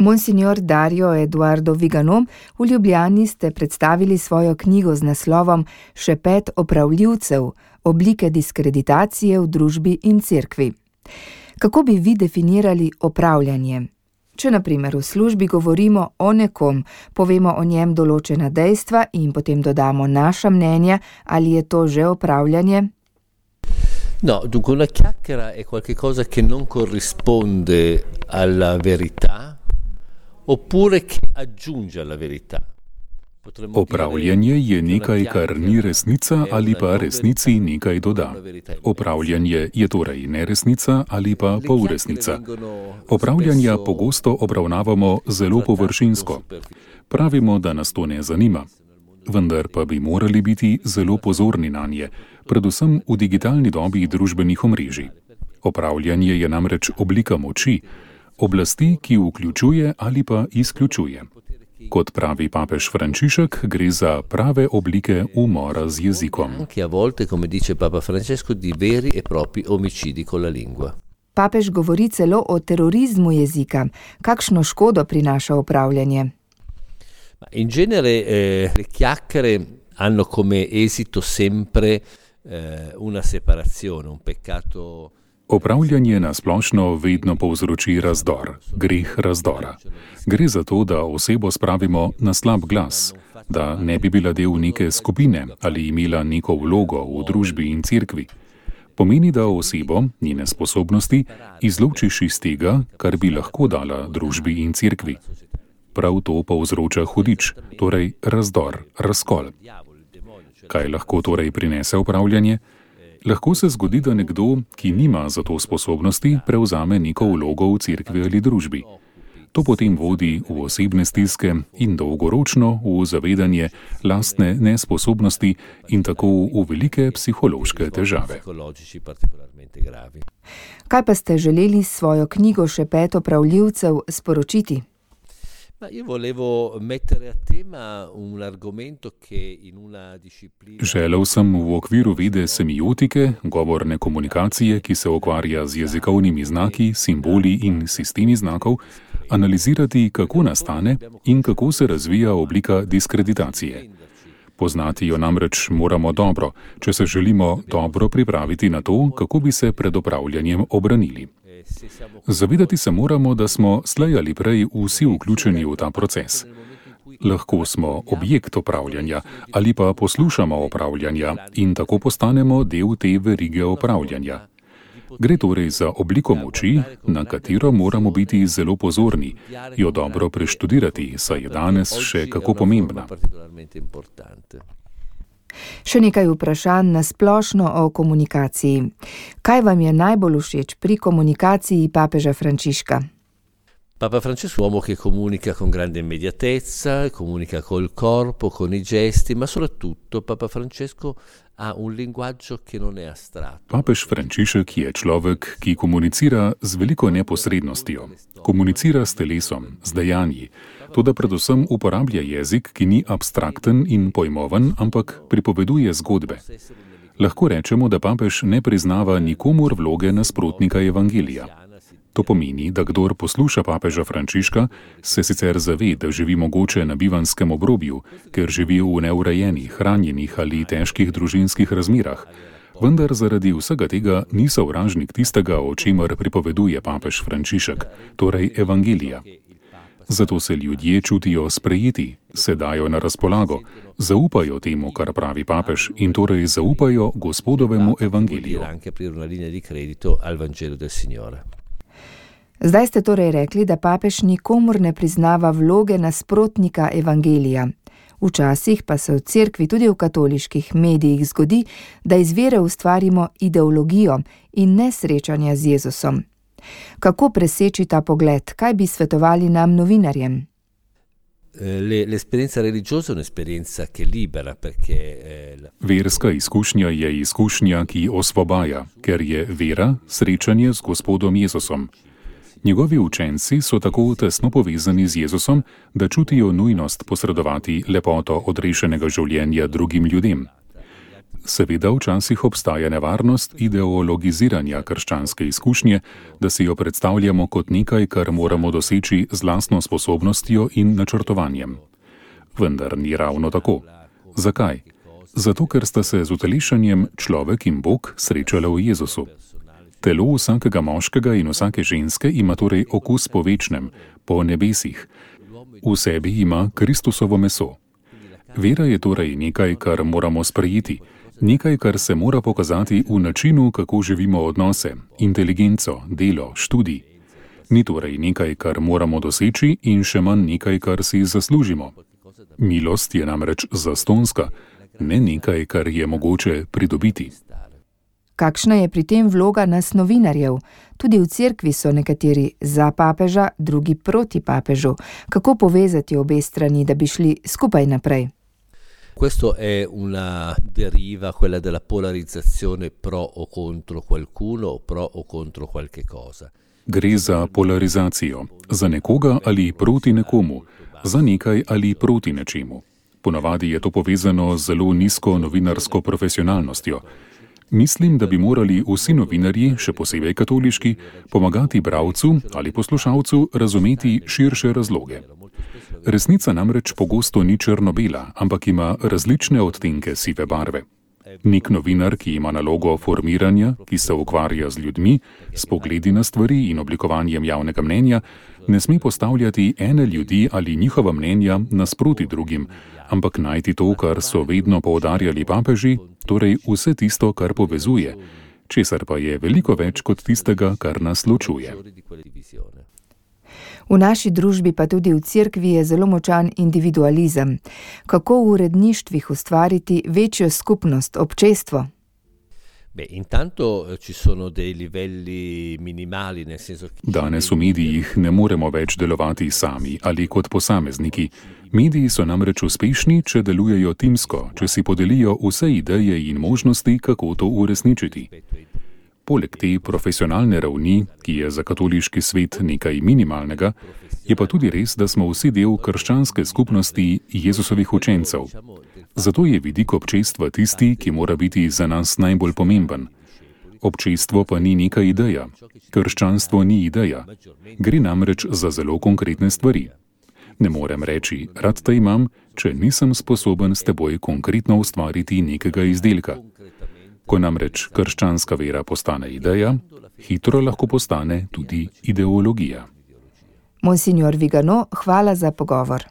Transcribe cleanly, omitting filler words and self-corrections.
Monsignor Dario Eduardo Vigano, v Ljubljani ste predstavili svojo knjigo z naslovom Šepet opravljivcev, oblike diskreditacije v družbi in cerkvi. Kako bi vi definirali opravljanje? Če na primer v službi govorimo o nekom, povemo o njem določena dejstva in potem dodamo naša mnenja, ali je to že opravljanje? No, dunque una chiacchiera è qualcosa che non corrisponde alla verità oppure che aggiunge alla verità. Opravljanje je nekaj, kar ni resnica ali pa resnici nekaj doda. Opravljanje je torej neresnica ali pa polresnica. Opravljanja pogosto obravnavamo zelo površinsko. Pravimo, da nas to ne zanima. Vendar pa bi morali biti zelo pozorni nanje, predvsem v digitalni dobi družbenih omrežij. Opravljanje je namreč oblika moči, oblasti, ki vključuje ali pa izključuje. Kot pravi papež Frančišek, gre za prave oblike umora z jezikom. Papež govori celo o terorizmu jezika. Kakšno škodo prinaša opravljanje? In genere le chiacchiere hanno come esito sempre una separazione, un peccato. Opravljanje na splošno vedno povzroči razdor, greh razdora. Gre za to, da osebo spravimo na slab glas, da ne bi bila del neke skupine ali imela neko vlogo v družbi in cerkvi. Pomeni, da osebo, njene sposobnosti, izločiš iz tega, kar bi lahko dala družbi in cerkvi. Prav to povzroča hudič, torej razdor, razkol. Kaj lahko torej prinese opravljanje? Lahko se zgodi, da nekdo, ki nima za to sposobnosti, prevzame neko vlogo v cerkvi ali družbi. To potem vodi v osebne stiske in dolgoročno v zavedanje lastne nesposobnosti in tako v velike psihološke težave. Kaj pa ste želeli s svojo knjigo Šepet opravljivcev sporočiti? Želel sem v okviru vede semiotike, govorne komunikacije, ki se ukvarja z jezikovnimi znaki, simboli in sistemi znakov, analizirati, kako nastane in kako se razvija oblika diskreditacije. Poznati jo namreč moramo dobro, če se želimo dobro pripraviti na to, kako bi se pred opravljanjem obranili. Zavedati se moramo, da smo slej ali prej vsi vključeni v ta proces. Lahko smo objekt opravljanja ali pa poslušamo opravljanja in tako postanemo del te verige opravljanja. Gre torej za obliko moči, na katero moramo biti zelo pozorni, jo dobro preštudirati, saj je danes še kako pomembna. Še nekaj vprašanj na splošno o komunikaciji. Kaj vam je najbolj všeč pri komunikaciji papeža Frančiška? Papa Francesco è un uomo che comunica con grande immediatezza, comunica col corpo, con i gesti, ma soprattutto Papa Francesco ha un linguaggio che non è astratto. Papež Frančišek je človek, ki komunicira z veliko neposrednostjo. Komunicira s telesom, z dejanji. Toda predvsem uporablja jezik, ki ni abstrakten in pojmoven, ampak pripoveduje zgodbe. Lahko rečemo, da papež ne priznava nikomur vloge nasprotnika evangelija. To pomeni, da kdor posluša papeža Frančiška, se sicer zave, da živi mogoče na bivanskem obrobju, ker živi v neurejenih, ranjenih ali težkih družinskih razmerah. Vendar zaradi vsega tega ni sovražnik tistega, o čemer pripoveduje papež Frančišek, torej evangelija. Zato se ljudje čutijo sprejeti, se dajo na razpolago, zaupajo temu, kar pravi papež, in torej zaupajo Gospodovemu evangeliju. Zdaj ste torej rekli, da papež nikomur ne priznava vloge nasprotnika evangelija. Včasih pa se v cerkvi, tudi v katoliških medijih, zgodi, da iz vere ustvarimo ideologijo in ne srečanja z Jezusom. Kako preseči ta pogled? Kaj bi svetovali nam novinarjem? L'esperienza religiosa è un'esperienza che libera, perché Verska izkušnja je izkušnja, ki osvobaja, ker je vera srečanje z Gospodom Jezusom. Njegovi učenci so tako tesno povezani z Jezusom, da čutijo nujnost posredovati lepoto odrešenega življenja drugim ljudem. Seveda včasih obstaja nevarnost ideologiziranja krščanske izkušnje, da si jo predstavljamo kot nekaj, kar moramo doseči z lastno sposobnostjo in načrtovanjem. Vendar ni ravno tako. Zakaj? Zato, ker sta se z utelešanjem človek in Bog srečala v Jezusu. Telo vsakega moškega in vsake ženske ima torej okus po večnem, po nebesih. V sebi ima Kristusovo meso. Vera je torej nekaj, kar moramo sprejeti, nekaj, kar se mora pokazati v načinu, kako živimo odnose, inteligenco, delo, študij. Ni torej nekaj, kar moramo doseči in še manj nekaj, kar si zaslužimo. Milost je namreč zastonska, ne nekaj, kar je mogoče pridobiti. Kakšna je pri tem vloga nas novinarjev? Tudi v cerkvi so nekateri za papeža, drugi proti papežu. Kako povezati obe strani, da bi šli skupaj naprej? Questo è una deriva, quella della polarizzazione pro o contro qualcuno o pro o contro qualche cosa. Gre za polarizacijo, za nekoga ali proti nekomu, za nekaj ali proti nečemu. Ponavadi je to povezano z zelo nizko novinarsko profesionalnostjo. Mislim, da bi morali vsi novinarji, še posebej katoliški, pomagati bralcu ali poslušalcu razumeti širše razloge. Resnica namreč pogosto ni črno-bela, ampak ima različne odtenke sive barve. Nek novinar, ki ima nalogo formiranja, ki se ukvarja z ljudmi, s pogledi na stvari in oblikovanjem javnega mnenja, ne sme postavljati ene ljudi ali njihova mnenja nasproti drugim, ampak najti to, kar so vedno poudarjali papeži, torej vse tisto, kar povezuje, česar pa je veliko več kot tistega, kar nas ločuje. V naši družbi pa tudi v cerkvi je zelo močan individualizem. Kako v uredništvih ustvariti večjo skupnost, občestvo? Intanto ci sono dei livelli minimali, nel senso che Danes v medijih ne moremo več delovati sami ali kot posamezniki. Mediji so namreč uspešni, če delujejo timsko, če si podelijo vse ideje in možnosti, kako to uresničiti. Poleg te profesionalne ravni, ki je za katoliški svet nekaj minimalnega, je pa tudi res, da smo vsi del krščanske skupnosti Jezusovih učencev. Zato je vidik občestva tisti, ki mora biti za nas najbolj pomemben. Občestvo pa ni neka ideja. Krščanstvo ni ideja. Gre namreč za zelo konkretne stvari. Ne morem reči, rad te imam, če nisem sposoben s teboj konkretno ustvariti nekega izdelka. Ko namreč krščanska vera postane ideja, hitro lahko postane tudi ideologija. Monsignor Vigano, hvala za pogovor.